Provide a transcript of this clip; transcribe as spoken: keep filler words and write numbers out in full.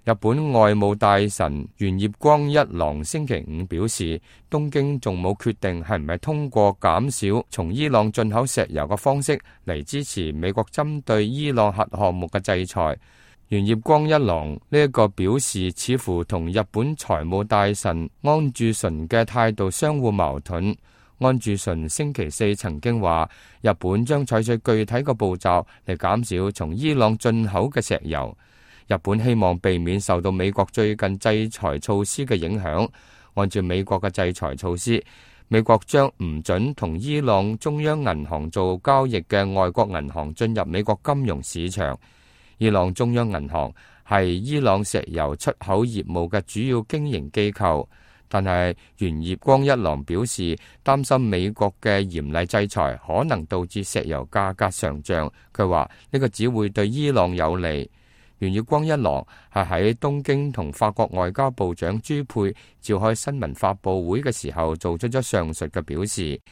日本外務大臣猿葉光一郎星期五表示，東京仲冇決定係唔係通過減少從伊朗進口石油嘅方式嚟支持美國針對伊朗核項目嘅制裁。猿葉光一郎呢一個表示，似乎同日本財務大臣安住淳嘅態度相互矛盾。安住淳星期四曾經話，日本將採取具體嘅步驟嚟減少從伊朗進口嘅石油。日本希望避免受到美國最近制裁措施嘅影響。按照美國嘅制裁措施，美國將唔准同伊朗中央銀行做交易嘅外國銀行進入美國金融市場。伊朗中央銀行係伊朗石油出口業務嘅主要經營機構，但係猿葉光一郎表示擔心美國嘅嚴厲制裁可能導致石油價格上漲。佢話呢個只會對伊朗有利。猿葉光一郎係喺東京同法國外交部長朱佩召開新聞發佈會嘅時候做出咗上述嘅表示。